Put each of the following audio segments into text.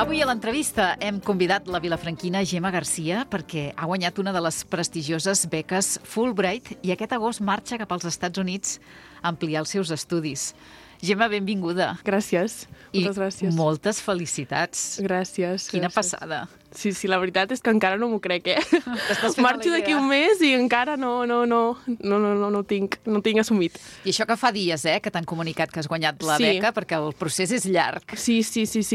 Avui a l'entrevista hem convidat la vilafranquina Gemma Garcia perquè ha guanyat una de les prestigioses beques Fulbright i aquest agost marxa cap als Estats Units a ampliar els seus estudis. Gemma, benvinguda. Gràcies, moltes gràcies. I moltes felicitats. Gràcies. Quina passada. Sí, la veritat és que encara no m'ho crec, Marxo d'aquí un mes i encara no ho tinc assumit. I això que fa dies, que t'han comunicat que has guanyat la beca, perquè el procés és llarg. Sí,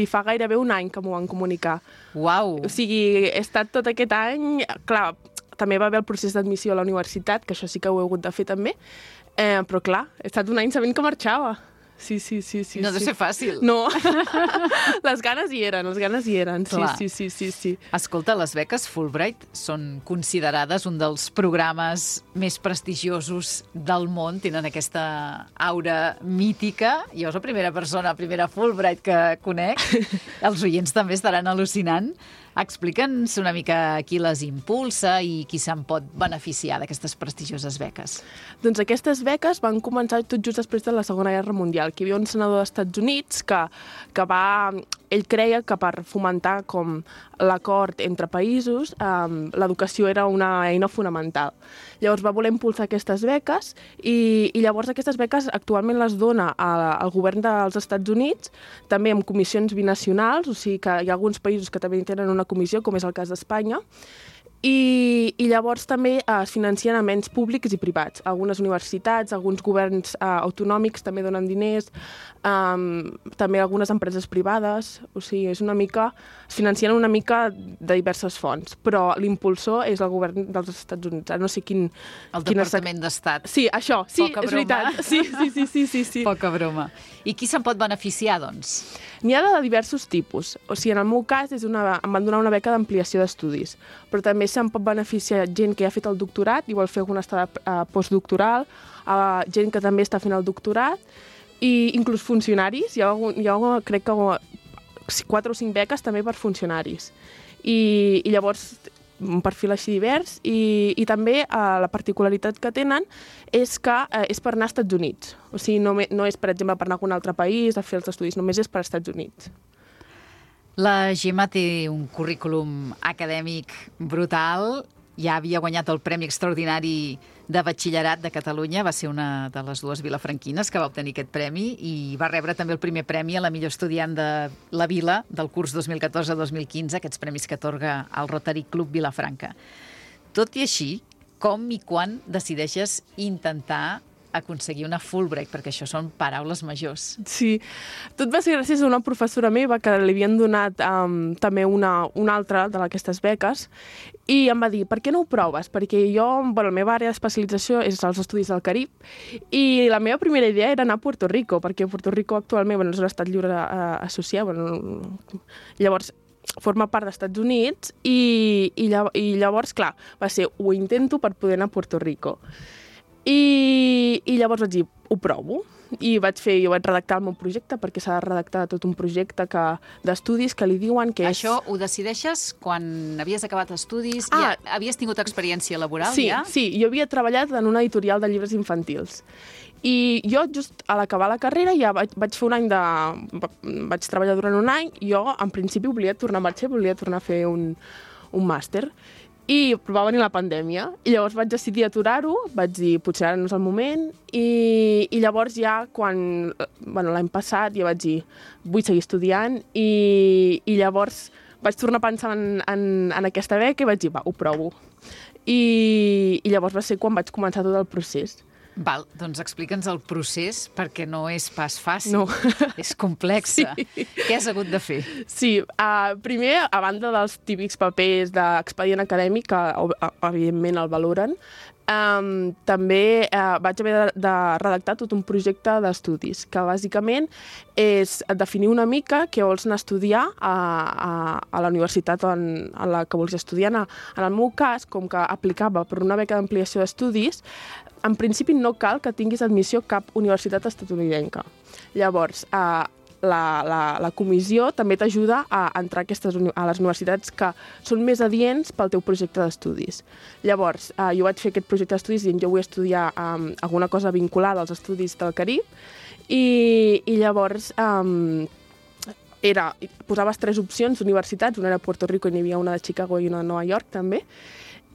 fa gairebé un any que m'ho van comunicar. Uau! O sigui, he estat tot aquest any... Clar, també va haver el procés d'admissió a la universitat, que això sí que ho he hagut de fer també, però clar, he estat un any sabent que marxava. Sí. No ha de ser fàcil. No, les ganes hi eren, sí. Escolta, les beques Fulbright són considerades un dels programes més prestigiosos del món, tenen aquesta aura mítica. Jo és la primera Fulbright que conec. Els oients també estaran al·lucinant. Explica'ns una mica qui les impulsa i qui se'n pot beneficiar d'aquestes prestigioses beques. Doncs aquestes beques van començar tot just després de la Segona Guerra Mundial, que hi havia un senador dels Estats Units que va... Ell creia que per fomentar com l'acord entre països, l'educació era una eina fonamental. Llavors va voler impulsar aquestes beques i llavors aquestes beques actualment les dona al govern dels Estats Units, també amb comissions binacionals, o sigui que hi ha alguns països que també tenen una comissió, com és el cas d'Espanya, i llavors també es financien amb ens públics i privats. Algunes universitats, alguns governs autonòmics també donen diners, també algunes empreses privades, o sigui, es financien una mica de diverses fonts, però l'impulsor és el govern dels Estats Units, no sé quin... El Departament d'Estat. Sí, això, sí, és veritat. Sí. Poca broma. I qui se'n pot beneficiar, doncs? N'hi ha de diversos tipus. O sigui, en el meu cas em van donar una beca d'ampliació d'estudis, però també se'n pot beneficiar gent que ja ha fet el doctorat i vol fer alguna estada postdoctoral, gent que també està fent el doctorat, i inclús funcionaris. Hi ha crec que 4 o 5 beques també per funcionaris. I llavors un perfil així divers, i també la particularitat que tenen és que és per anar als Estats Units. O sigui, no és, per exemple, per anar a un altre país a fer els estudis, només és per als Estats Units. La Gemma té un currículum acadèmic brutal, ja havia guanyat el Premi Extraordinari de Batxillerat de Catalunya, va ser una de les 2 vilafranquines que va obtenir aquest premi i va rebre també el primer premi a la millor estudiant de la Vila del curs 2014-2015, aquests premis que atorga el Rotary Club Vilafranca. Tot i així, com i quan decideixes intentar aconseguir una Fulbright, perquè això són paraules majors. Sí, tot va ser gràcies a una professora meva que li havien donat també una altra d'aquestes beques i em va dir, per què no ho proves? Perquè la meva àrea d'especialització és els estudis del Carib i la meva primera idea era anar a Puerto Rico, perquè Puerto Rico actualment és un estat lliure associat, llavors forma part dels Estats Units i llavors, clar, va ser, ho intento per poder anar a Puerto Rico. I llavors vaig dir, ho provo. I jo vaig redactar el meu projecte, perquè s'ha de redactar tot un projecte d'estudis que li diuen que és... Això ho decideixes quan havies acabat estudis? Ja havies tingut experiència laboral, ja? Sí, jo havia treballat en una editorial de llibres infantils. I jo, just a l'acabar la carrera, ja vaig fer un any vaig treballar durant un any, i jo, en principi, volia tornar a marxar, volia tornar a fer un màster. I va venir la pandèmia, i llavors vaig decidir aturar-ho, vaig dir, potser ara no és el moment, i llavors ja, l'any passat, ja vaig dir, vull seguir estudiant, i llavors vaig tornar a pensar en aquesta beca i vaig dir, ho provo. I llavors va ser quan vaig començar tot el procés. Val, doncs explica'ns el procés, perquè no és pas fàcil. No. És complexa. Sí. Què has hagut de fer? Sí, primer, a banda dels típics papers d'expedient acadèmic, que evidentment el valoren, també vaig haver de redactar tot un projecte d'estudis, que bàsicament és definir una mica què vols anar a estudiar a la universitat en la que vols estudiar. En el meu cas, com que aplicava per una beca d'ampliació d'estudis, en principi no cal que tinguis admissió a cap universitat estatunidenca. Llavors, la comissió també t'ajuda a entrar a les universitats que són més adients pel teu projecte d'estudis. Llavors, jo vaig fer aquest projecte d'estudis dient jo vull estudiar alguna cosa vinculada als estudis del Carib i llavors posaves 3 opcions d'universitats, una era a Puerto Rico i n'hi havia una de Chicago i una de Nova York també,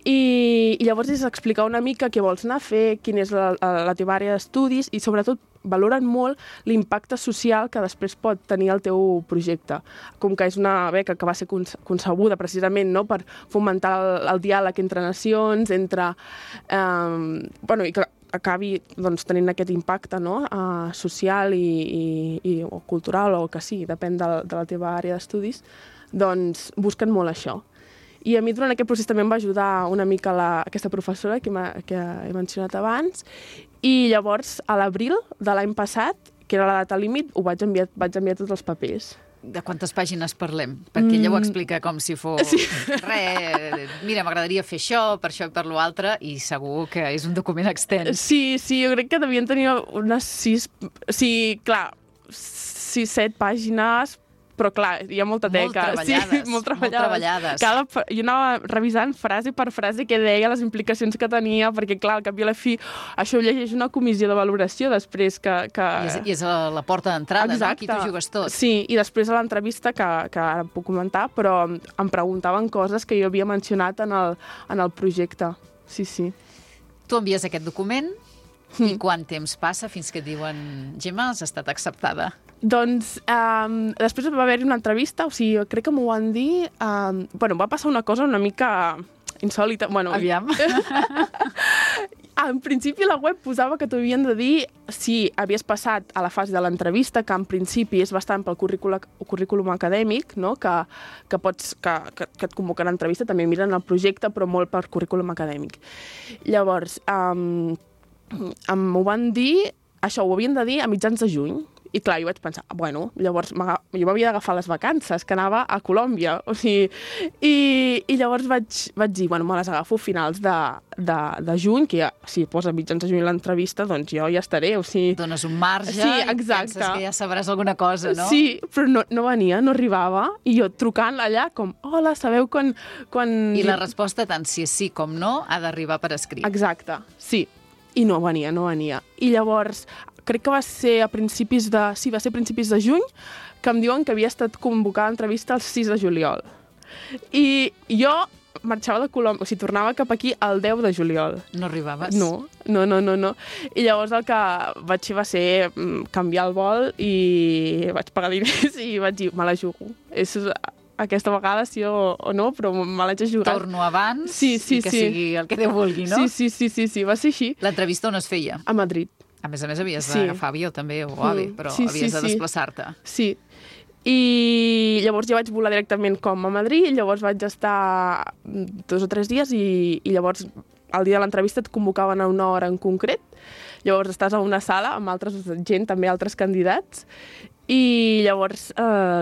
i llavors és explicar una mica què vols anar a fer, quina és la teva àrea d'estudis i sobretot valoren molt l'impacte social que després pot tenir el teu projecte. Com que és una beca que va ser concebuda precisament per fomentar el diàleg entre nacions, i que acabi tenint aquest impacte social o cultural o que sí, depèn de la teva àrea d'estudis, doncs busquen molt això. I a mi durant aquest procés també em va ajudar una mica aquesta professora que he mencionat abans, i llavors a l'abril de l'any passat, que era la data límit, vaig enviar tots els papers. De quantes pàgines parlem? Perquè ella ho explica com si fos mira, m'agradaria fer això, per això i per l'altre, i segur que és un document extens. Sí, jo crec que devien tenir unes 7 pàgines, però clar, hi ha molta teca. Molt treballades. Jo anava revisant frase per frase què deia, les implicacions que tenia, perquè clar, al cap i a la fi, això ho llegeix una comissió de valoració després que... I és a la porta d'entrada, no? Aquí t'ho jugues tot. Sí, i després a l'entrevista, que ara puc comentar, però em preguntaven coses que jo havia mencionat en el projecte. Sí. Tu envies aquest document i quant temps passa fins que et diuen Gemma, has estat acceptada? Doncs després va haver-hi una entrevista, crec que m'ho van dir... va passar una cosa una mica insòlita. Aviam. En principi la web posava que t'ho havien de dir si havies passat a la fase de l'entrevista, que en principi és bastant pel currículum acadèmic, no? que et convoquen a entrevista, també miren el projecte, però molt per currículum acadèmic. Llavors, m'ho van dir, això ho havien de dir a mitjans de juny. I clar, jo vaig pensar, llavors jo m'havia d'agafar les vacances, que anava a Colòmbia, i llavors vaig dir, me les agafo a finals de juny, que ja, si posa mitjans de juny l'entrevista, doncs jo ja estaré, Dones un marge i penses que ja sabràs alguna cosa, no? Sí, però no venia, no arribava, i jo trucant allà com, hola, sabeu quan... I la resposta, tant si és sí com no, ha d'arribar per escrit. Exacte, sí, i no venia. I llavors... crec que va ser a principis de juny, que em diuen que havia estat convocada l'entrevista el 6 de juliol. I jo marxava de Colòmbia, tornava cap aquí el 10 de juliol. No arribaves? No. I llavors el que vaig fer va ser canviar el vol i vaig pagar diners i vaig dir, me la jugo. Aquesta vegada sí o no, però me l'haig de jugar. Torno abans i que sigui el que Déu vulgui, no? Sí, va ser així. L'entrevista on es feia? A Madrid. A més, havies d'agafar avió també, o AVE, però havies de desplaçar-te. Sí. I llavors ja vaig volar directament com a Madrid, llavors vaig estar 2 o 3 dies i llavors el dia de l'entrevista et convocaven a una hora en concret. Llavors estàs a una sala amb gent, també altres candidats, i llavors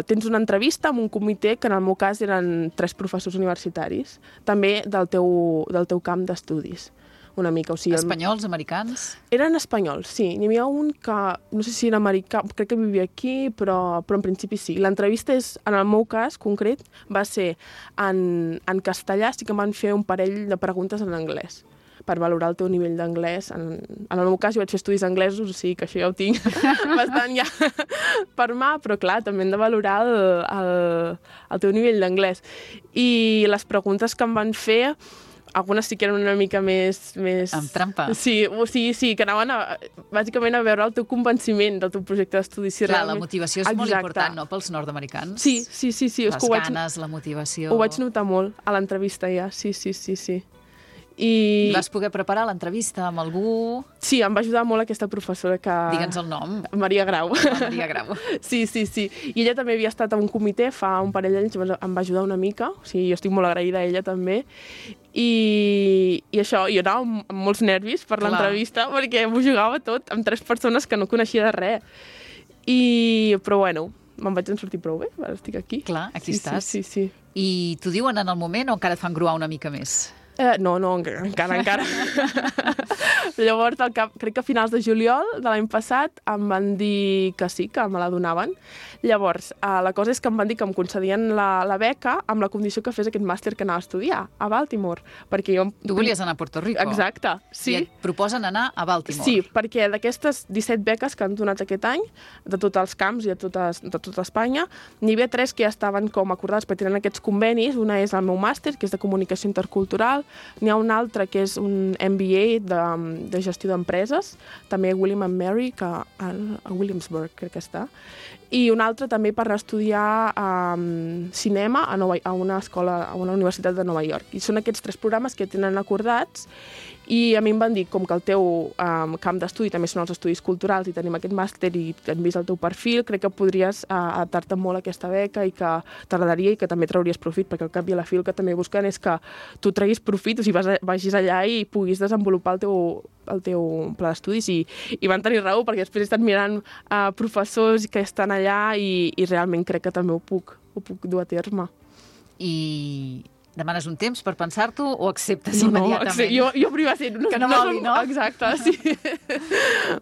tens una entrevista amb un comitè que en el meu cas eren 3 professors universitaris, també del teu camp d'estudis. Una mica, Espanyols, americans? Eren espanyols, sí. N'hi havia un que, no sé si era americà, crec que vivia aquí, però en principi sí. L'entrevista en el meu cas concret, va ser en castellà, sí que em van fer un parell de preguntes en anglès per valorar el teu nivell d'anglès. En el meu cas jo vaig fer estudis anglesos, o sigui que això ja ho tinc bastant ja per mà, però clar, també hem de valorar el teu nivell d'anglès. I les preguntes que em van fer, algunes sí que eren una mica més... Amb trampa. Sí, que anaven bàsicament a veure el teu convenciment del teu projecte d'estudi. Clar, la motivació és molt important, no?, pels nord-americans. Sí. Les ganes, la motivació... Ho vaig notar molt a l'entrevista ja, sí. I... Vas poder preparar l'entrevista amb algú? Sí, em va ajudar molt aquesta professora que... Digue'ns el nom. Maria Grau. Maria Grau. Sí. I ella també havia estat a un comitè fa un parell d'anys, em va ajudar una mica, jo estic molt agraïda a ella també. I això, jo anava amb molts nervis per l'entrevista, perquè m'ho jugava tot amb 3 persones que no coneixia de res. Però me'n vaig en sortir prou bé, ara estic aquí. Clar, aquí estàs. Sí. I t'ho diuen en el moment o encara et fan gruar una mica més? No, encara. Llavors, crec que a finals de juliol de l'any passat em van dir que sí, que me la donaven. Llavors, la cosa és que em van dir que em concedien la beca amb la condició que fes aquest màster que anava a estudiar a Baltimore. Perquè jo... Tu volies anar a Puerto Rico. Exacte, sí. I et proposen anar a Baltimore. Sí, perquè d'aquestes 17 beques que han donat aquest any, de tots els camps i de tota Espanya, n'hi havia 3 que ja estaven com acordats perquè tenen aquests convenis. Una és el meu màster, que és de comunicació intercultural. N'hi ha un altre que és un MBA de gestió d'empreses, també a William & Mary, que a Williamsburg crec que està. I un altre també per estudiar cinema a una universitat de Nova York. I són aquests 3 programes que tenen acordats, i a mi em van dir, com que el teu camp d'estudi també són els estudis culturals i tenim aquest màster i hem vist el teu perfil, crec que podries adaptar-te molt a aquesta beca i que t'agradaria i que també trauries profit, perquè al cap i a la fi el que també busquen és que tu treguis profit, o sigui, vagis allà i puguis desenvolupar el teu pla d'estudis, i van tenir raó, perquè després he estat mirant professors que estan allà i realment crec que també ho puc dur a terme. I demanes un temps per pensar-t'ho o acceptes immediatament? Jo primer va ser... Que no voli, no? Exacte, sí.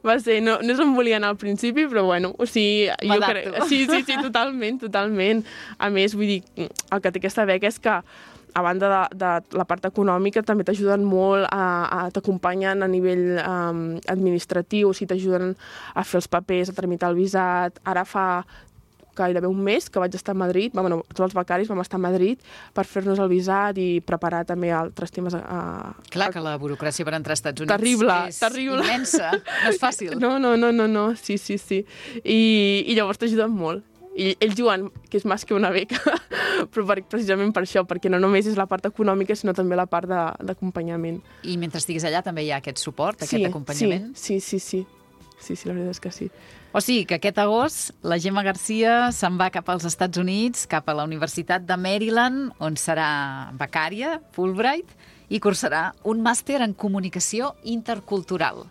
Va ser, no és on volia anar al principi, però bueno, o sigui... M'adapto. Sí, totalment. A més, vull dir, el que té aquesta beca és que a banda de la part econòmica, també t'ajuden molt, t'acompanyen a nivell administratiu, o sigui, t'ajuden a fer els papers, a tramitar el visat. Ara fa gairebé un mes que vaig estar a Madrid, tots els becaris vam estar a Madrid per fer-nos el visat i preparar també altres temes. Clar que la burocràcia per entrar als Estats Units és immensa, no és fàcil. No, sí. I llavors t'ajuden molt. I ells diuen que és més que una beca, però precisament per això, perquè no només és la part econòmica, sinó també la part d'acompanyament. I mentre estiguis allà també hi ha aquest suport, aquest acompanyament? Sí, la veritat és que sí. O sigui que aquest agost la Gemma Garcia se'n va cap als Estats Units, cap a la Universitat de Maryland, on serà becària, Fulbright, i cursarà un màster en comunicació intercultural.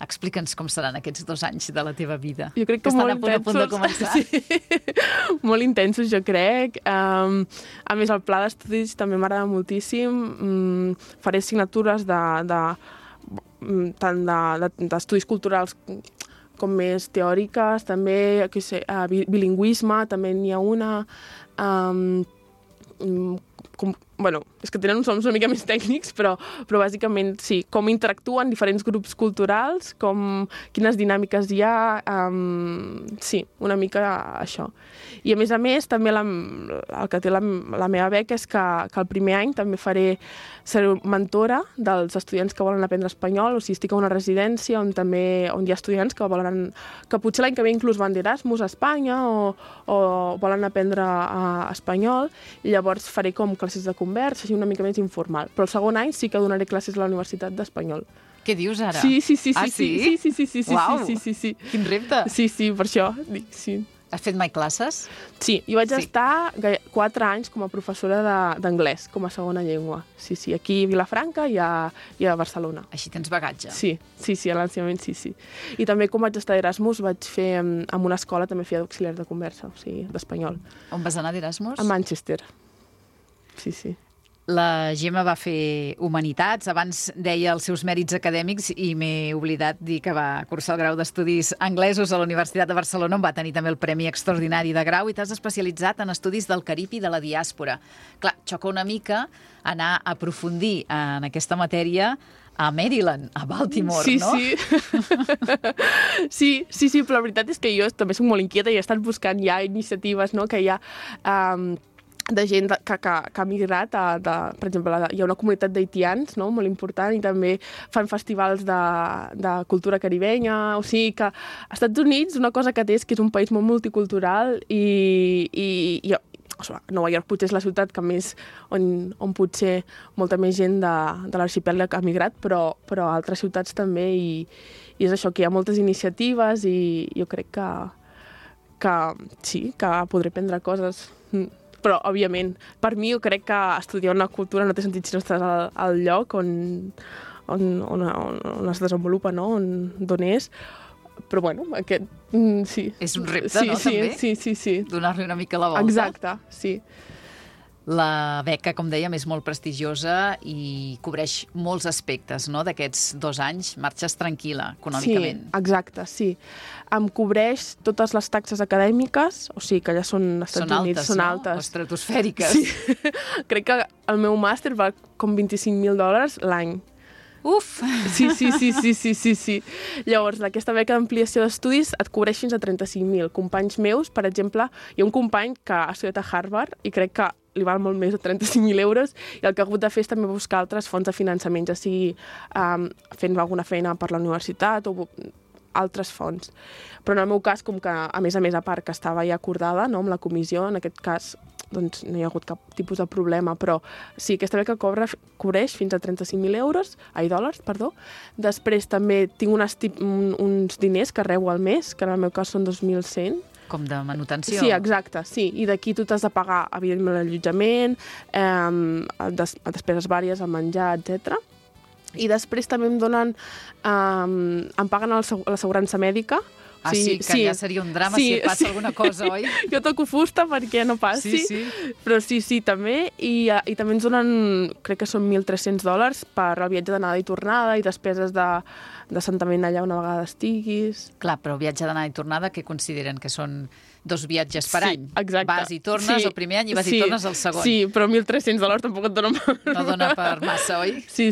Explica'ns com seran aquests 2 anys de la teva vida. Jo crec que estan molt intensos. A punt de començar. Sí. Molt intensos, jo crec. A més, el pla d'estudis també m'agrada moltíssim. Faré assignatures tant d'estudis culturals com més teòriques, també bilingüisme, també n'hi ha una... és que tenen uns noms una mica més tècnics, però bàsicament sí, com interactuen diferents grups culturals, quines dinàmiques hi ha, sí, una mica això. I a més, també el que té la meva beca és que el primer any també seré mentora dels estudiants que volen aprendre espanyol, o sigui, estic a una residència on hi ha estudiants que potser l'any que ve inclús van d'Erasmus a Espanya o volen aprendre espanyol, i llavors faré com classes de conversa, una mica més informal. Però el segon any sí que donaré classes a la Universitat d'Espanyol. Què dius ara? Sí. Ah, sí? Sí. Uau, quin repte. Sí, per això dic sí. Has fet mai classes? Sí, jo vaig estar 4 anys com a professora d'anglès, com a segona llengua. Sí, aquí a Vilafranca i a Barcelona. Així tens bagatge. Sí, a l'ensenyament sí. I també com vaig estar a Erasmus vaig fer en una escola, també feia d'auxiliar de conversa, o sigui, d'espanyol. On vas anar d'Erasmus? A Manchester. Sí. La Gemma va fer Humanitats, abans deia els seus mèrits acadèmics i m'he oblidat dir que va cursar el grau d'Estudis Anglesos a la Universitat de Barcelona, on va tenir també el Premi Extraordinari de Grau, i t'has especialitzat en estudis del Carib i de la diàspora. Clar, xoca una mica anar a aprofundir en aquesta matèria a Maryland, a Baltimore, no? Sí, però la veritat és que jo també soc molt inquieta i he estat buscant ja iniciatives, no?, que hi ha... de gent que ha migrat, per exemple, hi ha una comunitat d'haitians, no?, molt important, i també fan festivals de cultura caribenya, o sigui que als Estats Units una cosa que té és que és un país molt multicultural i Nova York potser és la ciutat que més, on potser molta més gent de l'arxipèlag ha migrat, però a altres ciutats també, i és això, que hi ha moltes iniciatives i jo crec que sí, que podré aprendre coses. Però, òbviament, per mi jo crec que estudiar una cultura no té sentit si no estàs al lloc on es desenvolupa, no?, d'on és. Però, bueno, aquest... Sí. És un repte, no?, també? Sí. Donar-li una mica la volta. Exacte, sí. La beca, com dèiem, és molt prestigiosa i cobreix molts aspectes, no?, d'aquests 2 anys. Marxes tranquil·la, econòmicament. Sí, exacte, sí. Em cobreix totes les taxes acadèmiques, o sigui que ja són als Estats Units, són altes. No? Estratosfèriques. Sí. Crec que el meu màster va com $25,000 l'any. Uf! Sí. Llavors, aquesta beca d'ampliació d'estudis et cobreix fins a 35.000. Companys meus, per exemple, hi ha un company que ha estudiat a Harvard i crec que li val molt més de 35.000 euros i el que ha hagut de fer és també buscar altres fonts de finançament, ja sigui fent alguna feina per la universitat o altres fonts. Però en el meu cas, com que, a més, a part que estava ja acordada, no, amb la comissió, en aquest cas doncs no hi ha hagut cap tipus de problema, però sí, aquesta beca cobreix fins a 35.000 dòlars. Després també tinc uns diners que rebo al mes, que en el meu cas són 2.100. Com de manutenció. Sí, exacte, sí. I d'aquí tu t'has de pagar, evidentment, l'allotjament, despeses vàries, el menjar, etc. I després també em donen... em paguen l'assegurança mèdica. Ah, sí, que ja seria un drama si et passa alguna cosa, oi? Jo toco fusta perquè no passi. Sí. Però sí, també. I també ens donen, crec que són $1.300 per al viatge d'anada i tornada i despeses d'assentament allà una vegada estiguis. Clar, però viatge d'anada i tornada, què consideren? Que són 2 viatges per any? Exacte. Vas i tornes el primer any i vas i tornes el segon. Sí, però $1.300 tampoc et donen... No dona per massa, oi? Sí.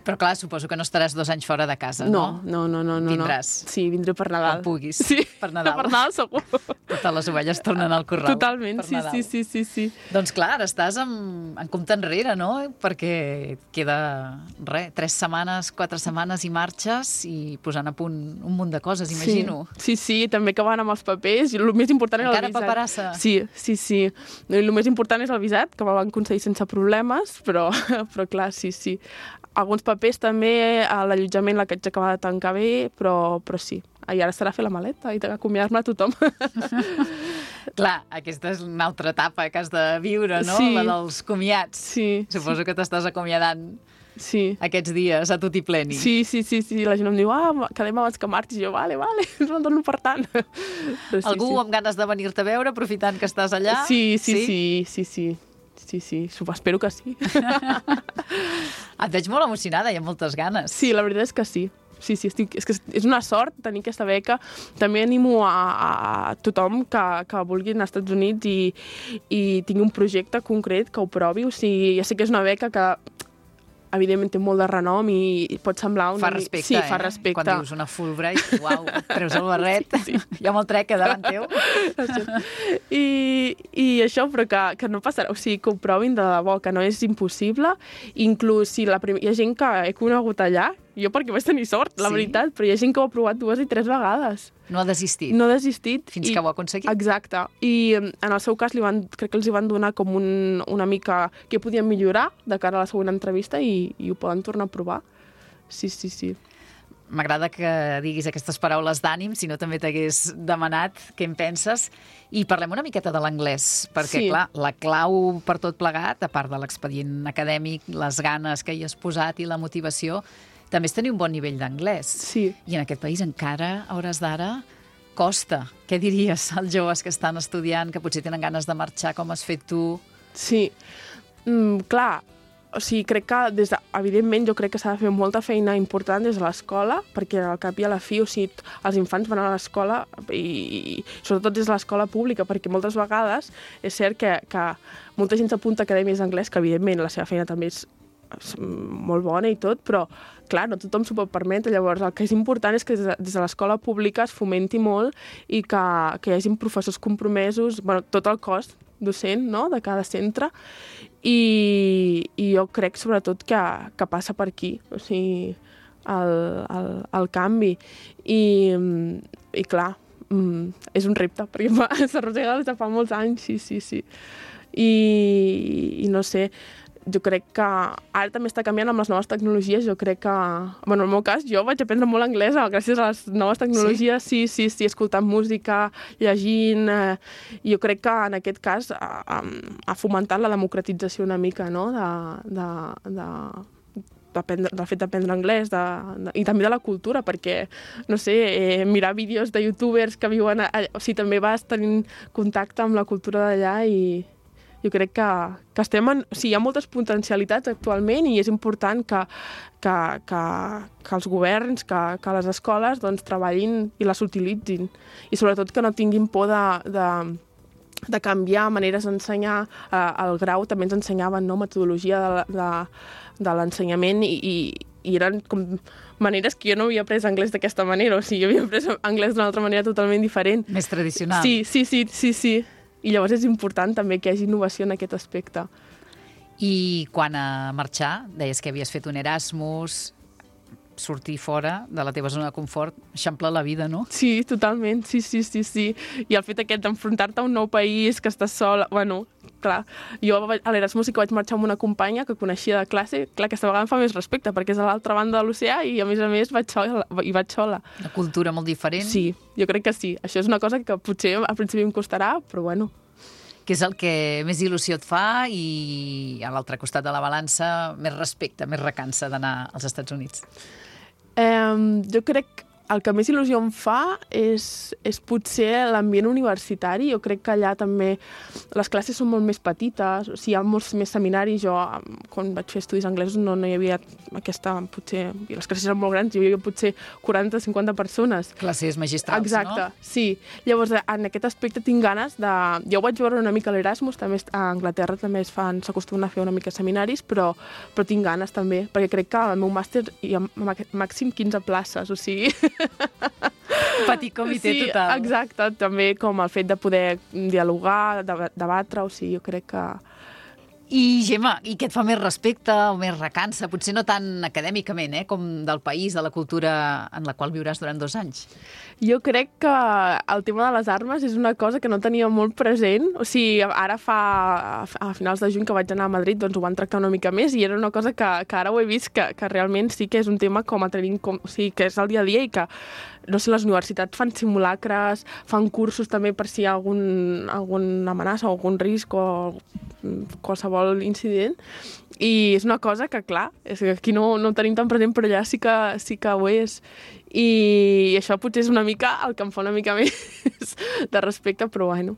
Però clar, suposo que no estaràs 2 anys fora de casa, no? No. Vindràs. Sí, vindré per Nadal. Quan puguis. Sí, per Nadal. Per Nadal segur. Totes les ovelles tornen al corral. Totalment, sí. Doncs clar, ara estàs en compte enrere, no? Perquè queda, 3 setmanes, 4 setmanes i marxes i posant a punt un munt de coses, imagino. Sí, també acabant amb els papers. I el més important era el visat. Encara paperassa? Sí. I el més important és el visat, que me'l van concedir sense problemes, però clar, sí. Alguns papers també, l'allotjament la que haig d'acabar de tancar bé, però sí. I ara serà fer la maleta i acomiadar-me a tothom. Clar, aquesta és una altra etapa que has de viure, no? Sí. La dels comiats. Sí. Suposo que t'estàs acomiadant aquests dies a tot i pleni. Sí. La gent em diu, quedem abans que marxis. Jo, vale, no em dono per tant. Algú amb ganes de venir-te a veure, aprofitant que estàs allà? Sí. Espero que sí. Et veig molt emocionada i amb moltes ganes. Sí, la veritat és que sí. Sí, és que és una sort tenir aquesta beca. També animo a tothom que vulgui anar als Estats Units i tingui un projecte concret que ho provi. O sigui, ja sé que és una beca que evidentment té molt de renom i pot semblar una... Fa respecte, fa respecte. Quan dius una Fulbright, uau, treus el barret, sí. Hi ha molt trec davant teu. I això, però que no passarà, o sigui, que ho provin de debò, que no és impossible. Inclús si hi ha gent que he conegut allà, jo perquè vaig tenir sort, la veritat, però hi ha gent que ho ha provat 2 i 3 vegades. No ha desistit. No ha desistit. Fins que ho ha aconseguit. Exacte. I en el seu cas crec que els hi van donar com una mica què podien millorar de cara a la següent entrevista i ho poden tornar a provar. Sí. M'agrada que diguis aquestes paraules d'ànim, si no també t'hagués demanat què en penses. I parlem una miqueta de l'anglès, perquè, clar, la clau per tot plegat, a part de l'expedient acadèmic, les ganes que hi has posat i la motivació, també és tenir un bon nivell d'anglès. Sí. I en aquest país encara, a hores d'ara, costa. Què diries als joves que estan estudiant, que potser tenen ganes de marxar, com has fet tu? Sí. Clar, o sigui, crec que, evidentment, jo crec que s'ha de fer molta feina important des de l'escola, perquè al cap i a la fi, o sigui, els infants van a l'escola i sobretot des de l'escola pública, perquè moltes vegades és cert que molta gent s'apunta a acadèmies d'anglès, que evidentment la seva feina també és molt bona i tot, però clar, no tothom s'ho pot permetre. Llavors el que és important és que des de l'escola pública es fomenti molt i que hi hagi professors compromesos, tot el cos docent, no?, de cada centre, i jo crec sobretot que passa per aquí, o sigui, el canvi. I clar, és un repte, perquè s'arrossega des de fa molts anys, sí. I no sé, jo crec que ara també està canviant amb les noves tecnologies. Jo crec que, en el meu cas, jo vaig aprendre molt anglès gràcies a les noves tecnologies. Sí, escoltant música, llegint. Jo crec que en aquest cas ha fomentat la democratització una mica, no?, del fet d'aprendre anglès i també de la cultura, perquè, no sé, mirar vídeos de youtubers que viuen allà, o sigui, també vas tenint contacte amb la cultura d'allà i Jo crec que estem hi ha moltes potencialitats actualment i és important que els governs, que les escoles doncs, treballin i les utilitzin. I sobretot que no tinguin por de canviar maneres d'ensenyar. Al grau també ens ensenyaven metodologia de l'ensenyament i eren com maneres que jo no havia après anglès d'aquesta manera, o sigui, jo havia après anglès d'una altra manera totalment diferent. Més tradicional. Sí. I llavors és important també que hi hagi innovació en aquest aspecte. I quan a marxar, deies que havies fet un Erasmus, sortir fora de la teva zona de confort, eixampla la vida, no? Sí, totalment, sí. I el fet aquest d'enfrontar-te a un nou país, que estàs sol... Bueno, clar, jo a l'Erasmus sí que vaig marxar amb una companya que coneixia de classe, clar, aquesta vegada em fa més respecte, perquè és a l'altra banda de l'oceà i a més vaig sola. Una cultura molt diferent. Sí, jo crec que sí. Això és una cosa que potser al principi em costarà, però bueno. Què és el que més il·lusió et fa i a l'altre costat de la balança més respecte, més recança d'anar als Estats Units? Jo crec que el que més il·lusió em fa és potser l'ambient universitari. Jo crec que allà també les classes són molt més petites, o sigui, hi ha molts més seminaris. Jo, quan vaig fer estudis anglesos, no hi havia aquesta, potser... Les classes eren molt grans, hi havia potser 40-50 persones. Classes magistrals, exacte, no? Sí. Llavors, en aquest aspecte tinc ganes de... Jo vaig veure una mica l'Erasmus, també a Anglaterra també s'acostumen a fer una mica seminaris, però tinc ganes també, perquè crec que al meu màster hi ha màxim 15 places, o sigui... Petit comitè total. Sí, exacte. També com el fet de poder dialogar, debatre, o sigui, jo crec que... I, Gemma, i què et fa més respecte o més recança? Potser no tan acadèmicament, com del país, de la cultura en la qual viuràs durant 2 anys. Jo crec que el tema de les armes és una cosa que no tenia molt present. O sigui, ara a finals de juny que vaig anar a Madrid, doncs ho van tractar una mica més i era una cosa que ara ho he vist que realment sí que és un tema com a tenir, o sigui, que és el dia a dia i que no sé, les universitats fan simulacres, fan cursos també per si hi ha alguna amenaça o algun risc o qualsevol incident. I és una cosa que, clar, és que aquí no ho tenim tan present, però allà sí que ho és. I això potser és una mica el que em fa una mica més de respecte, però bueno.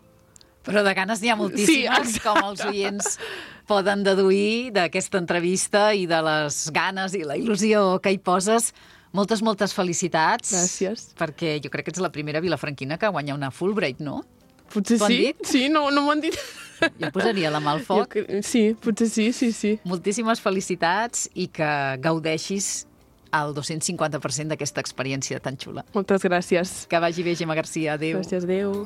Però de ganes n'hi ha moltíssimes, sí, com els oients poden deduir d'aquesta entrevista i de les ganes i la il·lusió que hi poses. Moltes felicitats. Gràcies. Perquè jo crec que ets la primera vilafranquina que guanya una Fulbright, no? Potser sí. Sí, no m'ho han dit. Jo posaria la mà al foc. Sí, potser sí. Moltíssimes felicitats i que gaudeixis al 250% d'aquesta experiència tan xula. Moltes gràcies. Que vagi bé, Gemma Garcia. Adéu. Gràcies, adéu.